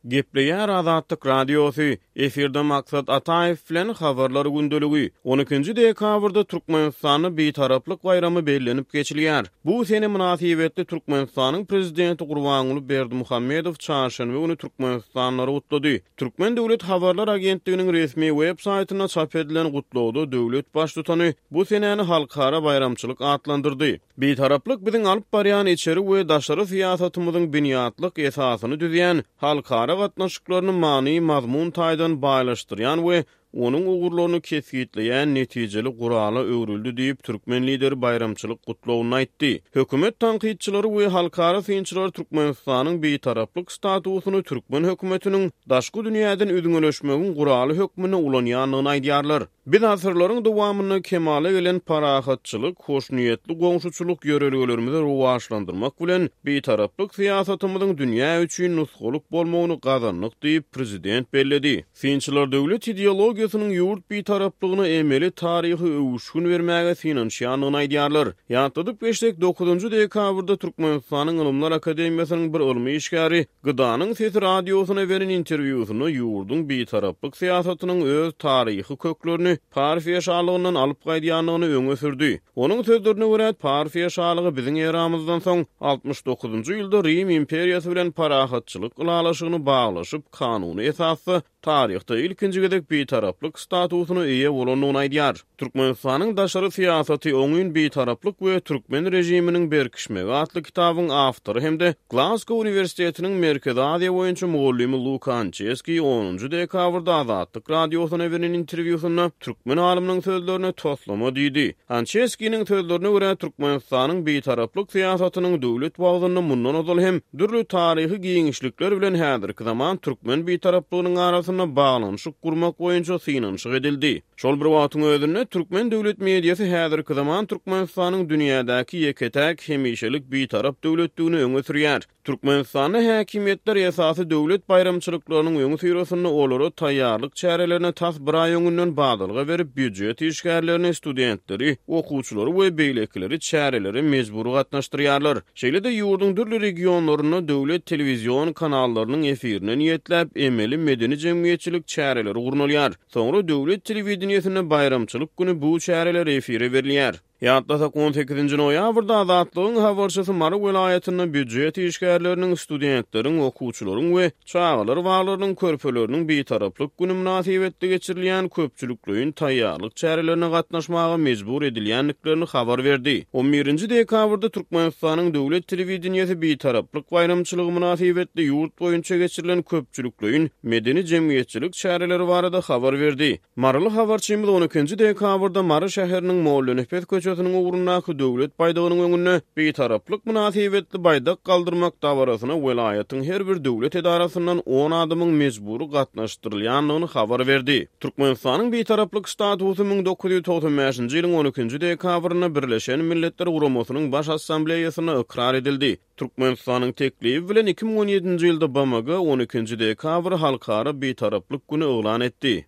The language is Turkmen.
Gepleýär Azatlyk Radiosy, efirde Maksat Ataýew bilen Habarlar gündeligi. On ikinji dekabrda Türkmenistanda Bitaraplyk baýramy bellenip geçilýär. Bu sene mynasybetli Türkmenistanyň Prezidenti Gurbanguly Berdimuhamedow çarşenbe güni türkmenistanlylary gutlady. Türkmen döwlet habarlar agentliginiň resmi web saýtynda çap edilen gutlagda döwlet Baştutany bu senäni halkara baýramçylyk atlandyrdy. Bitaraplyk biziň alyp barýan içeri we daşary syýasatymyzyň binýatlyk esasyny düzýän, halkara gatnaşyklaryny many-mazmun taýdan baýlaşdyrýan we onuň ugurlaryny kesgitleýän netijeli gurala öwrüldi diýip, türkmen Lideri baýramçylyk gutlagynda aýtdy. Hökümet tankytçylary we halkara synçylar Türkmenistanyň bitaraplyk statusyny türkmen hökümetiniň daşky dünýäden üzňeleşmegiň guraly hökmünde ulanýandygyny aýdýarlar. Biz asyrlaryň dowamynda kemala gelen parahatçylyk, hoşniýetli goňşuçylyk ýörelgelerimizi rowaçlandyrmak bilen, Bitaraplyk syýasatymyzyň dünýä üçin nusgalyk bolmagyny gazandyk diýip, prezident belledi. Synçylar döwlet ideologiýasynyň ýurt bitaraplygyna emeli taryhy öwüşgin bermäge synanyşýandygyny aýdýarlar. Ýatladyp geçsek, dokuzynjy dekabrda Türkmenistanyň Ylymlar akademiýasynyň bir ylmy işgäri Gdanyň sesi radiosyna beren interwýusynda ýurduň bitaraplyk syýasatynyň öz taryhy köklerini Parfiýa şalygyndan alyp gaýdýandygyny öňe sürdi. Onuň sözlerine görä, Parfiýa şalygy biziň eramyzdan soň 69-njy ýylda Rim imperiýasy bilen parahatçylyk ylalaşygyny baglaşyp, kanuny esasda taryhda ilkinji gezek bitaraplyk statusyna eýe bolandygyny aýdýar. Türkmenistanyň daşary syýasaty, oňyn bitaraplyk we türkmen režiminiň berkişmegi atly kitabyň awtory hem-de Glazgo uniwersitetiniň Merkezi Aziýa boýunça mugallymy Luka Ançeskiý onunjy dekabrda Azatlyk Radiosyna beren interwýusynda türkmen alymynyň sözlerine toslama diýdi. Ançeskiniň sözlerine görä, Türkmenistanyň bitaraplyk syýasatynyň döwlet wagzynda mundan ozal hem dürli taryhy giňişlikler bilen häzirki zaman türkmen bitaraplygynyň arasynda baglanyşyk gurmak boýunça synanyşyk edildi. Şol bir wagtyň özünde, türkmen döwlet mediasy häzirki zaman Türkmenistanyň dünýädäki ýeke-täk hemişelik bitarap döwletdigini öňe sürýär. Türkmenistanda häkimiýetler esasy döwlet baýramçylyklarynyň öňüsyrasynda olara taýýarlyk çärelerine tas bir aý öňünden badalga berip, býujet işgärlerini, studentleri, okuwçylary we beýlekileri çärelere mejbury gatnaşdyrýarlar. Şeýle-de ýurduň dürli regionlarynda döwlet telewizion kanallarynyň efirine niýetläp, emeli medeni-jemgyýetçilik çäreleri gurnalýar. Soňra döwlet telewideniýesinde baýramçylyk güni bu çäreler efire berilýär. Ýatlasak, on sekizinji noýabrda Azatlygyň habarçysy Mary welaýatynda býujet işgärleriniň, studentleriň, okuwçylaryň we çagalar baglarynyň körpeleriniň Bitaraplyk güni mynasybetli geçirilýän köpçülikleýin taýýarlyk çärelerine gatnaşmaga mejbur edilýändiklerini habar berdi. On birinji dekabrda Türkmenistanyň döwlet telewideniýesi Bitaraplyk baýramçylygy mynasybetli ýurt boýunça geçirilen köpçülikleýin medeni-jemgyýetçilik çäreleri barada habar berdi. Maryly habarçymyz on ikinji dekabrda Mary şäheriniň Mollanepes köçesiniň ugrundaky Döwlet baýdagynyň öňünde Bitaraplyk mynasybetli baýdak galdyrmak dabarasyna welaýatyň her bir döwlet edarasyndan on adamyň mejbury gatnaşdyrylýandygyny habar berdi. Türkmenistanyň Bitaraplyk statusy 1995-nji ýylyň on ikinji dekabrynda Birleşen Milletler Guramasynyň Baş Assambleýasynda ykrar edildi. Türkmenistanyň teklibi bilen 2017-nji ýylda BMG on ikinji dekabry Halkara Bitaraplyk güni yglan etdi.